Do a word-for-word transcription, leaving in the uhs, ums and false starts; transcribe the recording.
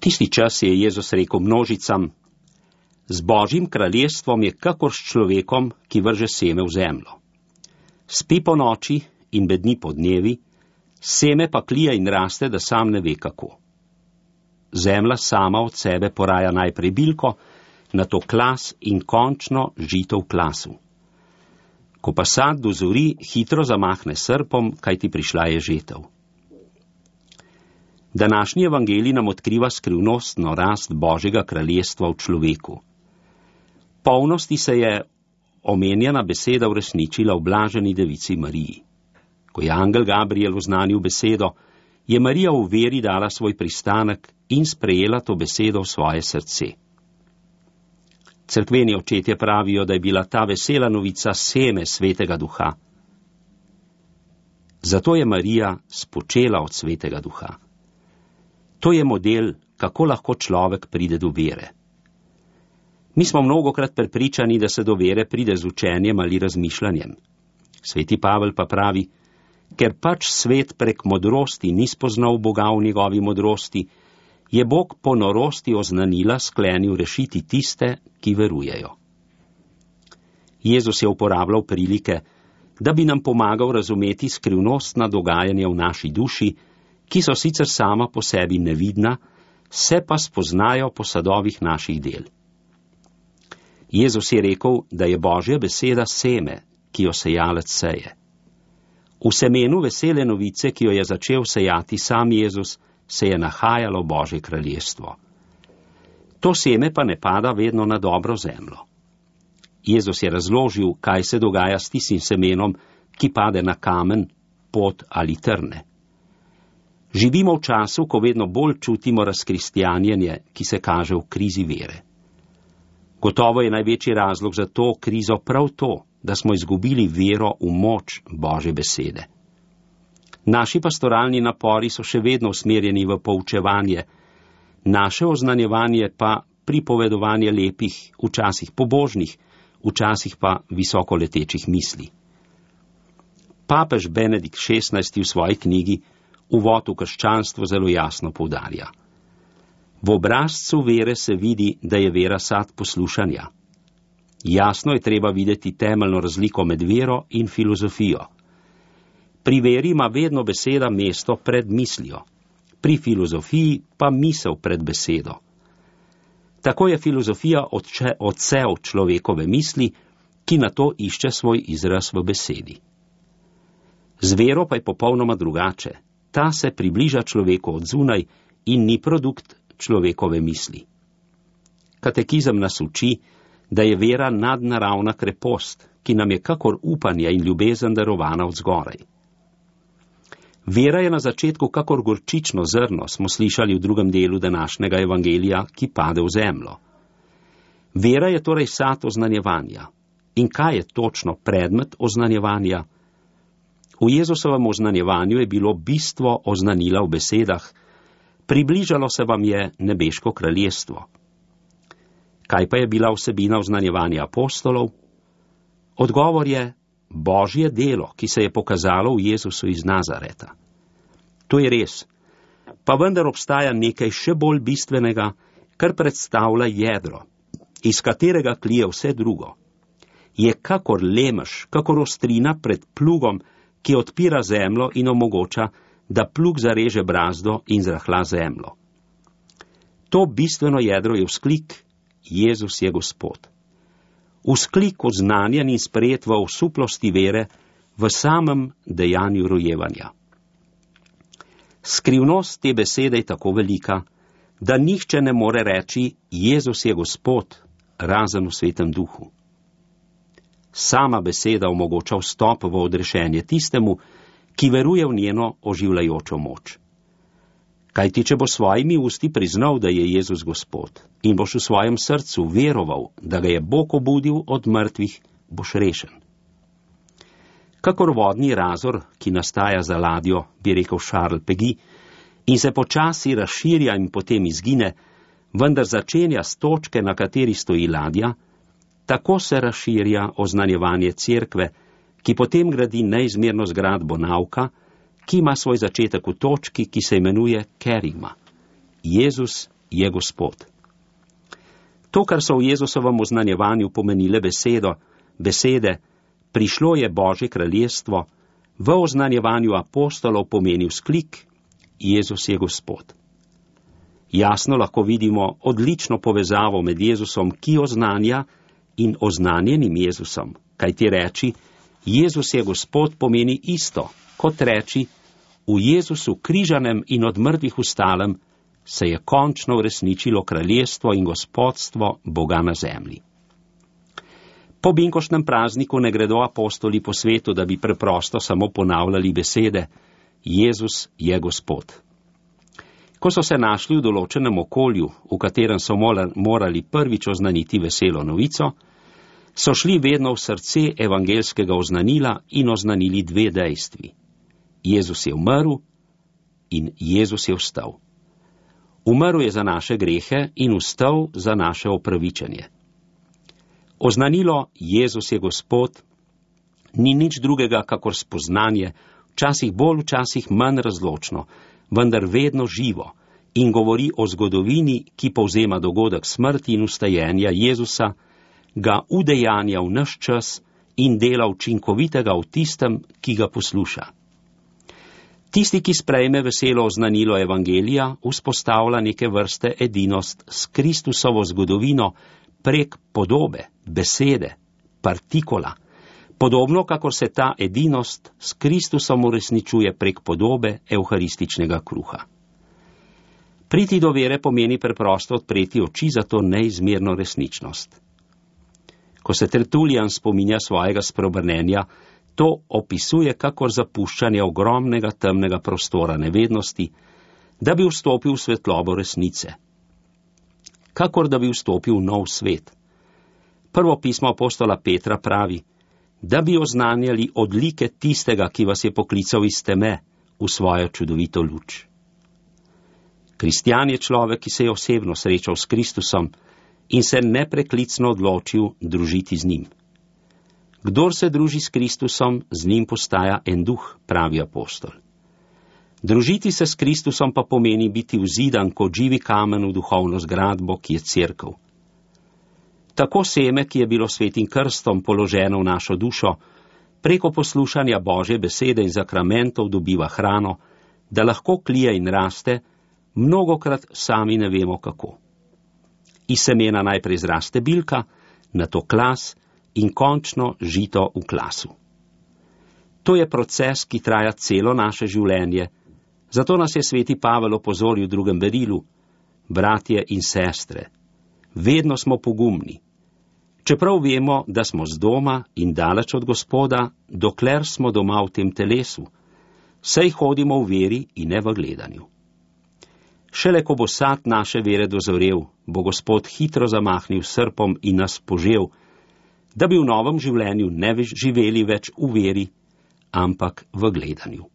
Tisti čas je Jezus rekel množicam: z Božjim kraljestvom je kakor s človekom, ki vrže seme v zemljo. Spi po noči in bedni po dnevi, seme pa klija in raste, da sam ne ve kako. Zemlja sama od sebe poraja najprej bilko, nato klas in končno žito v klasu. Ko pa sad dozori, hitro zamahne srpom, kajti prišla je žetev. Današnji evangelij nam odkriva skrivnostno rast Božjega kraljestva v človeku. Polnosti se je omenjena beseda uresničila v blaženi devici Mariji. Ko je angel Gabriel oznanil besedo, je Marija v veri dala svoj pristanek in sprejela to besedo v svoje srce. Cerkveni očetje pravijo, da je bila ta vesela novica seme Svetega Duha. Zato je Marija spočela od Svetega Duha. To je model, kako lahko človek pride do vere. Mi smo mnogokrat prepričani, da se do vere pride z učenjem ali razmišljanjem. Sveti Pavel pa pravi: ker pač svet prek modrosti ni spoznal Boga v njegovi modrosti, je Bog po norosti oznanila sklenil rešiti tiste, ki verujejo. Jezus je uporabljal prilike, da bi nam pomagal razumeti skrivnostna dogajanja v naši duši, ki so sicer sama po sebi nevidna, se pa spoznajo po sadovih naših del. Jezus je rekel, da je Božja beseda seme, ki jo sejalec seje. V semenu vesele novice, ki jo je začel sejati sam Jezus, se je nahajalo Božje kraljestvo. To seme pa ne pada vedno na dobro zemljo. Jezus je razložil, kaj se dogaja s tistim semenom, ki pade na kamen, pot ali trne. Živimo v času, ko vedno bolj čutimo razkristjanjenje, ki se kaže v krizi vere. Gotovo je največji razlog za to krizo prav to, da smo izgubili vero v moč Božje besede. Naši pastoralni napori so še vedno usmerjeni v poučevanje, naše oznanjevanje pa pripovedovanje lepih, včasih pobožnih, včasih pa visokoletečih misli. Papež Benedikt šestnajsti v svoji knjigi Uvod v krščanstvo zelo jasno poudarja: v obrazcu vere se vidi, da je vera sad poslušanja. Jasno je treba videti temeljno razliko med vero in filozofijo. Pri veri ima vedno beseda mesto pred mislijo, pri filozofiji pa misel pred besedo. Tako je filozofija odče, odsev človekove misli, ki nato išče svoj izraz v besedi. Z vero pa je popolnoma drugače. Ta se približa človeku od zunaj in ni produkt človekove misli. Katekizem nas uči, da je vera nadnaravna krepost, ki nam je kakor upanje in ljubezen darovana od zgoraj. Vera je na začetku kakor gorčično zrno, smo slišali v drugem delu današnjega evangelija, ki pade v zemljo. Vera je torej sad oznanjevanja. In kaj je točno predmet oznanjevanja? V Jezusovem oznanjevanju je bilo bistvo oznanila v besedah: približalo se vam je nebeško kraljestvo. Kaj pa je bila vsebina oznanjevanja apostolov? Odgovor je Božje delo, ki se je pokazalo v Jezusu iz Nazareta. To je res, pa vendar obstaja nekaj še bolj bistvenega, kar predstavlja jedro, iz katerega klije vse drugo. Je kakor lemež, kakor ostrina pred plugom, ki odpira zemljo in omogoča, da plug zareže brazdo in zrahla zemljo. To bistveno jedro je vzklik: Jezus je Gospod. Vzklik oznanjen in sprejet v osuplosti vere, v samem dejanju rojevanja. Skrivnost te besede je tako velika, da nihče ne more reči: Jezus je Gospod, razen v Svetem Duhu. Sama beseda omogoča vstop v odrešenje tistemu, ki veruje v njeno oživljajočo moč. Kajti, če bo svojimi usti priznal, da je Jezus Gospod, in boš v svojem srcu veroval, da ga je Bog obudil od mrtvih, boš rešen. Kakor vodni razor, ki nastaja za ladjo, bi rekel Charles Péguy, in se počasi razširja in potem izgine, vendar začenja s točke, na kateri stoji ladja, tako se razširja oznanjevanje cerkve, ki potem gradi neizmerno zgradbo nauka, ki ima svoj začetek v točki, ki se imenuje kerigma. Jezus je Gospod. To, kar so v Jezusovem oznanjevanju pomenile besedo, besede, prišlo je Božje kraljestvo, v oznanjevanju apostolov pomeni vzklik, Jezus je Gospod. Jasno lahko vidimo odlično povezavo med Jezusom, ki oznanja, in oznanjenim Jezusom, kajti reči, Jezus je Gospod, pomeni isto, kot reči, v Jezusu križanem in od mrtvih vstalem se je končno uresničilo kraljestvo in gospodstvo Boga na zemlji. Po binkoštnem prazniku ne gredo apostoli po svetu, da bi preprosto samo ponavljali besede, Jezus je Gospod. Ko so se našli v določenem okolju, v katerem so morali prvič oznaniti veselo novico, so šli vedno v srce evangelskega oznanila in oznanili dve dejstvi. Jezus je umrl in Jezus je vstal. Umrl je za naše grehe in vstal za naše opravičenje. Oznanilo Jezus je Gospod ni nič drugega kakor spoznanje, včasih bolj, včasih manj razločno, vendar vedno živo in govori o zgodovini, ki povzema dogodek smrti in vstajenja Jezusa, ga udejanja v naš čas in dela učinkovitega v tistem, ki ga posluša. Tisti, ki sprejme veselo oznanilo evangelija, vzpostavlja neke vrste edinost s Kristusovo zgodovino prek podobe, besede, partikola, podobno kakor se ta edinost s Kristusom uresničuje prek podobe evharističnega kruha. Priti do vere pomeni preprosto odpreti oči za to neizmerno resničnost. Ko se Tertulijan spominja svojega spreobrnenja, to opisuje kakor zapuščanje ogromnega temnega prostora nevednosti, da bi vstopil v svetlobo resnice. Kakor da bi vstopil v nov svet. Prvo pismo apostola Petra pravi, da bi oznanjali odlike tistega, ki vas je poklical iz teme v svojo čudovito luč. Kristjan je človek, ki se je osebno srečal s Kristusom in se nepreklicno odločil družiti z njim. Kdor se druži s Kristusom, z njim postaja en duh, pravi apostol. Družiti se s Kristusom pa pomeni biti vzidan kot živi kamen v duhovno zgradbo, ki je cerkev. Tako seme, ki je bilo svetim krstom položeno v našo dušo, preko poslušanja Božje besede in zakramentov dobiva hrano, da lahko klije in raste, mnogokrat sami ne vemo kako. Iz semena najprej zraste bilka, nato klas in končno žito v klasu. To je proces, ki traja celo naše življenje, zato nas je sveti Pavel opozoril v drugem berilu, bratje in sestre, vedno smo pogumni. Čeprav vemo, da smo z doma in daleč od Gospoda, dokler smo doma v tem telesu, saj hodimo v veri in ne v gledanju. Šele ko bo sad naše vere dozorel, bo Gospod hitro zamahnil srpom in nas požel, da bi v novem življenju ne živeli več v veri, ampak v gledanju.